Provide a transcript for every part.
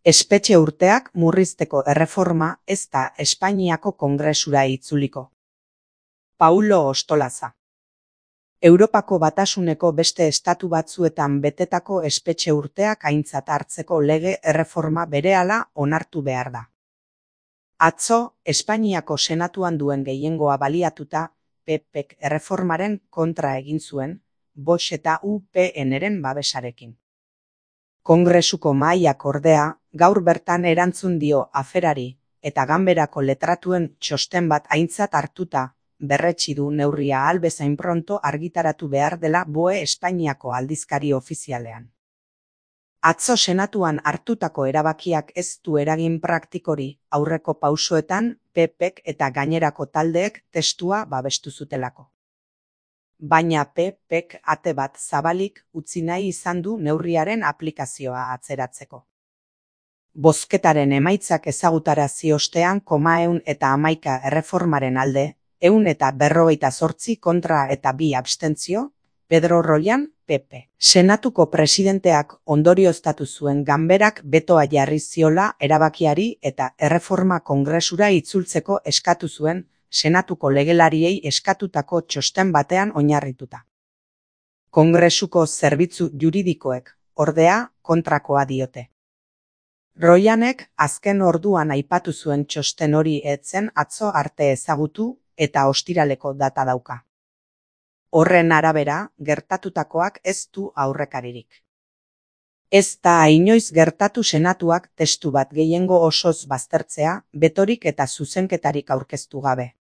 Espetxe urteak murrizteko erreforma ez da Espainiako Kongresura itzuliko. Paulo Ostolaza. Europako Batasuneko beste estatu batzuetan betetako espetxe urteak aintzat hartzeko lege erreforma berehala onartu behar da. Atzo, Espainiako Senatuan duen gehiengoa baliatuta, PPek erreformaren kontra egin zuen, Vox eta UPNren babesarekin. Kongresuko mahaiak ordea, gaur bertan erantzun dio aferari, eta ganberako letratuen txosten bat aintzat hartuta, berretsi du neurria ahal bezain pronto argitaratu behar dela BOE Espainiako aldizkari ofizialean. Atzo Senatuan hartutako erabakiak ez du eragin praktikori, aurreko pausoetan PPek eta gainerako taldeek testua babestu zutelako. Baina PPek ate bat zabalik utzi nahi izan du neurriaren aplikazioa atzeratzeko. Bozketaren emaitzak ezagutarazi ostean 111 erreformaren alde, 158 kontra eta 2 abstentzio, Pedro Royan, PP. Senatuko presidenteak ondorioztatu zuen ganberak betoa jarri ziola erabakiari eta erreforma Kongresura itzultzeko eskatu zuen Senatuko legelariei eskatutako txosten batean oinarrituta. Kongresuko zerbitzu juridikoek, ordea, kontrakoa diote. Royanek azken orduan aipatu zuen txosten hori ez zen atzo arte ezagutu eta ostiraleko data dauka. Horren arabera, gertatutakoak ez du aurrekaririk. Ez da inoiz gertatu Senatuak testu bat gehiengo osoz baztertzea, betorik eta zuzenketarik aurkeztu gabe.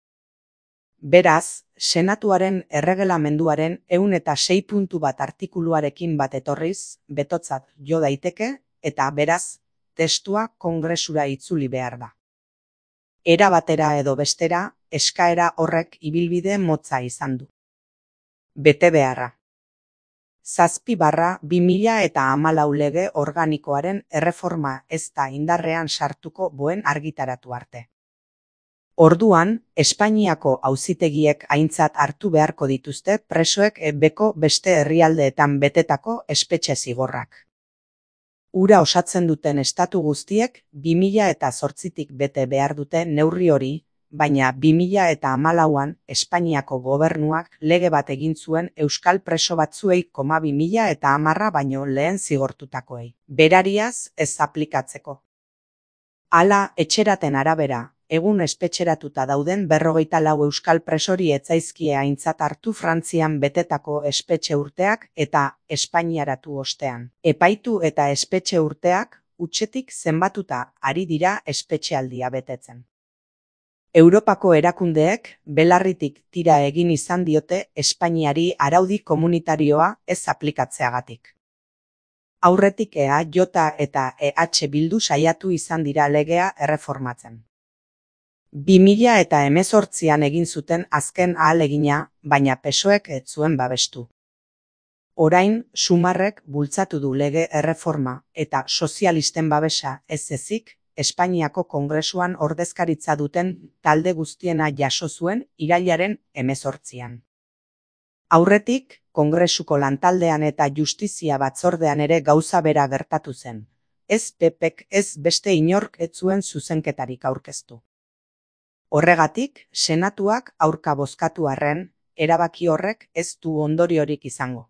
Beraz, Senatuaren erregelamenduaren 106 puntu bat artikuluarekin bat etorriz, betotzat jo daiteke, eta beraz, testua Kongresura itzuli behar da. Era batera edo bestera, eskaera horrek ibilbide motza izan du. Bete beharra. 7/2014 lege organikoaren erreforma ez da indarrean sartuko BOEn argitaratu arte. Orduan, Espainiako auzitegiek aintzat hartu beharko dituzte presoek beko beste herrialdeetan betetako espetxe zigorrak. Hura osatzen duten estatu guztiek 2008tik bete behar dute neurri hori, baina 2014an Espainiako gobernuak lege bat egin zuen euskal preso batzuei 2010 baino lehen zigortutakoei. Berariaz ez aplikatzeko. Hala, etxeraten arabera, egun espetxeratuta dauden 54 euskal presori ez zaizkie aintzat hartu Frantzian betetako espetxe urteak eta espainiaratu ostean. Epaitu eta espetxe urteak hutsetik zenbatuta ari dira espetxealdia betetzen. Europako erakundeek belarritik tira egin izan diote Espainiari araudi komunitarioa ez aplikatzeagatik. Aurretik EAJ eta EH Bildu saiatu izan dira legea erreformatzen. 2018an egin zuten azken ahalegina, baina PSOEk ez zuen babestu. Orain, Sumarrek bultzatu du lege erreforma eta sozialisten babesa ez ezik, Espainiako Kongresuan ordezkaritza duten talde guztiena jaso zuen irailaren 18an. Aurretik, Kongresuko lantaldean eta justizia batzordean ere gauza bera gertatu zen. Ez PPek ez beste inork ez zuen zuzenketarik aurkeztu. Horregatik, Senatuak aurka bozkatu arren, erabaki horrek ez du ondoriorik izango.